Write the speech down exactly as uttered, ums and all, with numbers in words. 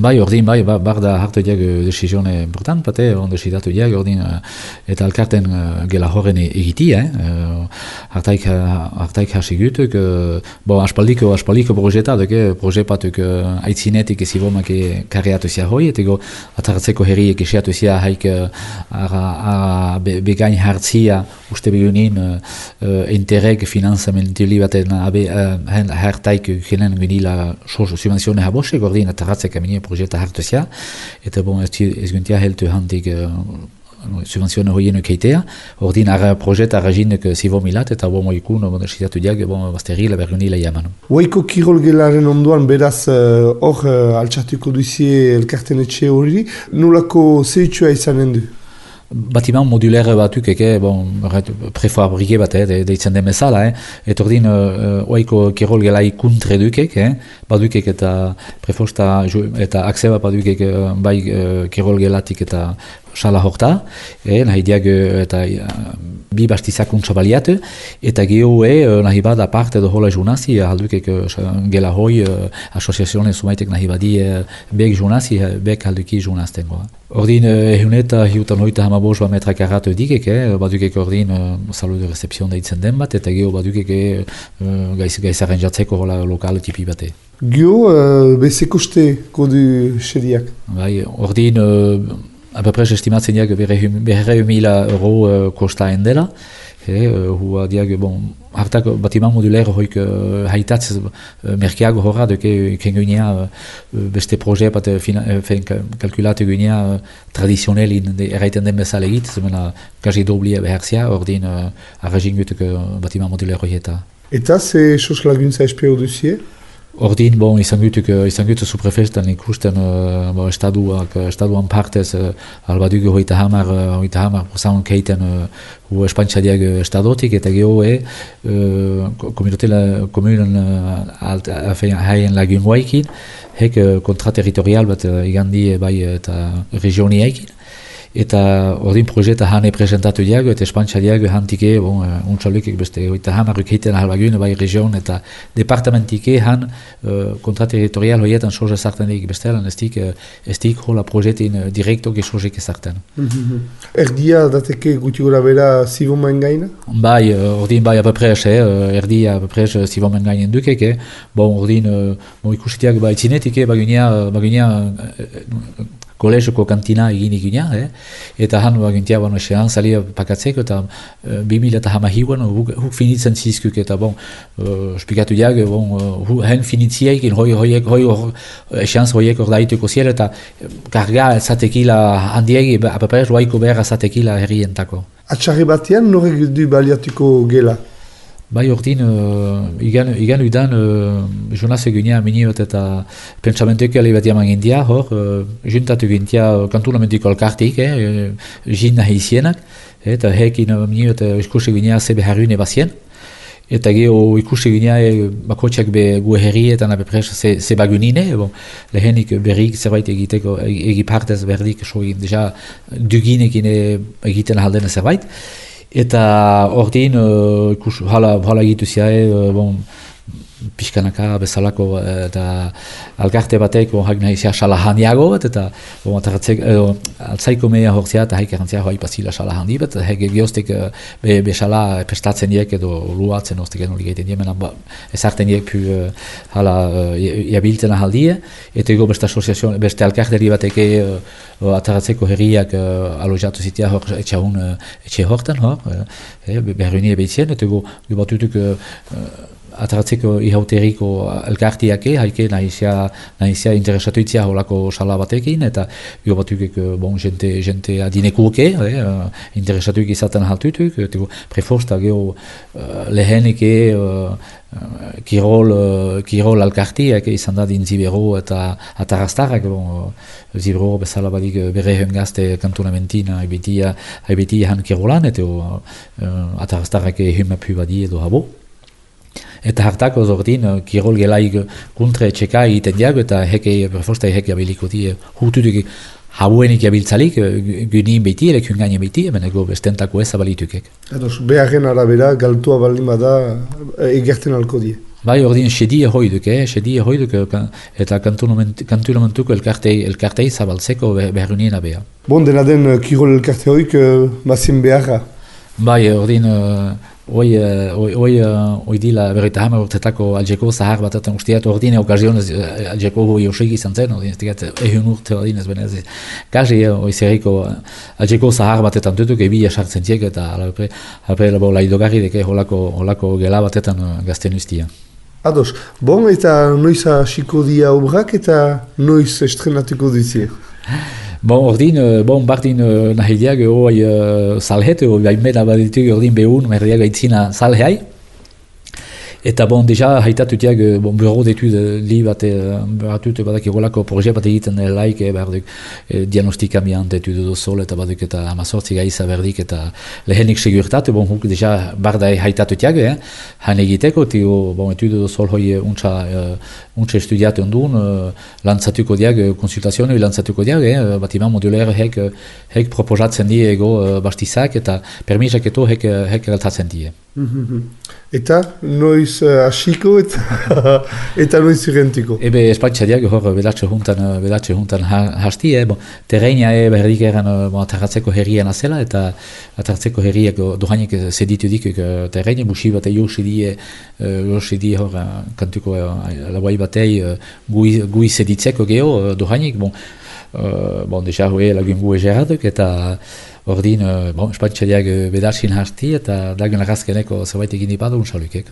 Bai, ordin, bai, bar, bar da hartu diag desizione important, bate, on desidatu diag, ordin, eta alkarten uh, gela horren egiti, eh? Uh, hartaik, hartaik hasi gutuk, uh, bo, aspaldiko, aspaldiko projeta, duke, projepatuk uh, aitzinetik ezibomak karreatu zia hoi, etego atartzeko herriek esiatu zia haik uh, ara, ara be, begain hartzia, uste begunin, uh, interreg finanzamentili baten abe uh, hartaik genen gunila subvenzione habosek, ordin, atartzek amini projeta hartu zia, eta bon, ez guntia heltu handik uh, subvenzione hoienuk heitea, ordin ara projeta araginek zivo milat, eta bon moikun, bon, esizatu diag, bon, basterila bergunila jaman. Oiko kirol gelaren onduan, beraz, hor uh, uh, altxatuko duzie elkarten etxe hori, nolako zehitxua izanen du? Batiman modulaire batuk eke, bon, prefabrike bat, eh, deitzen den bezala, eh, et ordin, uh, oiko kirol gelai kuntre dukek, eh, badukek eta prefosta eta akseba badukek bai uh, kirol gelatik eta sala horta, eh, nahi diag eta uh, bi bastizakuntza baliatu, eta geho e, nahi bada parte edo hola junazi, haldukek uh, gela hoi, uh, asoziazionen sumaitek nahi badi uh, bek junazi, bek halduki junaztengo. Ordin, ehuneta hiutan hoita hamabos ba metra karatu dikek, eh, badukek ordin uh, salu de recepzion deitzen den bat, eta geho badukek uh, gaiz, gaizaren jatzeko hola lokal tipi bate. Geho, uh, bezekoste kodu xediak? Bai, ordin, uh, apapres estimatzen diag berre mila euro uh, kostaen dela, e, uh, hua diag, bon, hartak batiman modulaire hoik uh, haitatz uh, merkeago horra, duke kengunia uh, beste proje bat uh, kalkulatu gunia uh, tradizionelin erraiten den bezala egit, zemena gazi doblia beherzia, ordin uh, arragin gutuk uh, batiman modulaire hoieta. Eta ze sos laguntza espero duzie? Ordin, bon, izan gutuk, izan gutuk suprefestan ikusten uh, bon, estaduak, estaduan partez uh, albaduk hoita hamar, hoita hamar prosan keiten uh, hu espantxadiak estadotik, eta geho e uh, komunen uh, haien lagun guaikin, hek uh, kontra territorial bat uh, igandi bai eta regioni eikin. Eta ordin projeta hane presentatu diago, eta espantxa diago hantike, bon, uh, untxalukek beste, eta hamaruk heiten ahalbagun, bai region, eta departamentike han uh, kontraterritorial hoietan soja sartan dik bestelan, ez dik, uh, ez dik hola projetin uh, direktok esojek sartan. Mm-hmm. Erdia dateke guti gora bera zivomen gaina? Bai, uh, ordin bai apapres, eh, erdia apapres zivomen gainen dukek, eh. Bon, ordin, uh, bon ikusitiak bai tzinetike, bagunia, bagunia, uh, kolezoko kantina egin eginia, eh? Eta han bagintia bano esean salia pakatzeko eta uh, bimila eta hamahiuan huk, huk finitzen zizkuk eta bon, uh, spikatu diag, bon, uh, hen finitziek, hoi hoiek, hoi esean hoiek ordaituko ziel eta karga zatekila handiegi, apapez roaiko behar zatekila herrientako. Atxarri batean norek du baliatuko gela? Bai, ordin, uh, igan, igan udan uh, Jonas egunia miniot eta pentsamentuek ale bat jaman gintia, hor, uh, juntatu gintia kantunamentiko alkartik, eh, jin nahi izienak, eta hekin uh, miniot uh, ikusi egunia zebe harrune bazien, eta geho ikusi egunia e, bakotxak be gu herrietan apepres ze, ze bagunine, bon, lehenik berrik zerbait egiteko, egi partez berdik, so deja duginekin egiten ahaldena zerbait, eta ordin, uh, ikus, hala, hala egitu ziae, uh, bon, pixkanaka bezalako eta alkarte batek hak nahi zia sala handiago bat, eta bon, uh, altzaiko mea horzia eta haik erantzia hoi pasila sala handi bat, hek geostek uh, be, be sala prestatzen diek edo luatzen oztek eno ligeiten die, mena ba, ezarten diek pu uh, hala uh, jabiltzen ahaldie, eta ego beste asoziazio, beste alkarteri bateke uh, ataratzeko herriak uh, alojatu zitia hor etxahun uh, etxe hortan hor, uh, eh, berrunie behitzen, eta ego batutuk uh, ataratzeko ihauteriko elkartiake, haike nahizia, nahizia interesatu itzia holako sala batekin, eta jo batukek, bon, jente, jente adinekuke, eh, interesatuik izaten haltutuk, eta preforsta geho uh, lehenike uh, kirol, uh, kirol alkartiak izan da din Zibero eta atarastarrak, bon, Zibero bezala badik bere hengazte kantonamentin haibetia, haibetia han kirolan, eta uh, atarastarrak humapu badi edo habo. Eta hartako zordin, kirol gelaik kontre txeka egiten diago, eta heke, prefosta heke abiliko di, hututuk hauenik abiltzalik, gynin beti, elekun gaine beti, hemen ego bestentako ez abalitukek. Edos, beharren arabera, galtua baldin bada, egerten alko die. Bai, ordin, sedi ehoiduk, eh? Sedi ehoiduk, eta kantulamentuko elkartei, elkartei zabaltzeko beharunien abea. Bon, dena den kirol elkarte hoik bazien beharra? Bai, ordin, hoi hoi dila berreita hamar urtetako Algeko zahar batetan usteat, ordin okazionez Algeko hoi osik izan zen, ordin, ez digat ehun urte ordin ez benez. Kazi, hoi zerriko Algeko zahar batetan dutuk, ebila sartzen tiek, eta alapre laidogarri deke holako gela batetan gazten ustia. Ados, bon, eta noiz hasiko dia obrak eta noiz estrenatuko duzie? Bon, ordin, bon, bardin nahideak hoi salhet, hoi baimena badituk ordin behun, merdiak aitzina salheai. Eta bon, deja haitatutiak, bon, bureau d'étude li bat batut badak egolako proje bat egiten laik, eh, berduk eh, diagnostika miant etude dozol eta baduk eta amazortzi gaiza berdik eta lehenik segurtat, bon, huk deja bardai haitatutiak, eh, han egiteko, tio, bon, etude dozol hoi untsa, uh, untsa estudiatu ondun, uh, lantzatuko diak, konsultazioa lantzatuko diak, eh, batiman modulaire hek, hek proposatzen die ego uh, bastizak eta permisak eto hek, hek galtatzen die. Eta noiz hasiko uh, eta, eta noiz irrentiko? Ebe espatxadiak hor bedatxe juntan, bedatxe juntan hasti, eh, bon, terreina e, berdik eran bon, atarratzeko herrian azela eta atarratzeko herriak dohainek zeditu dik terreina, busi bat josi die, josi die hor kantuko labai batei gui, gui zeditzeko geho dohainek, bon, uh, bon, deja hoe lagun gu egeraduk eta ordin, bon, espatxadiak bedatxin hasti eta dagun lagazkeneko zerbait egin ipadu unxalukek.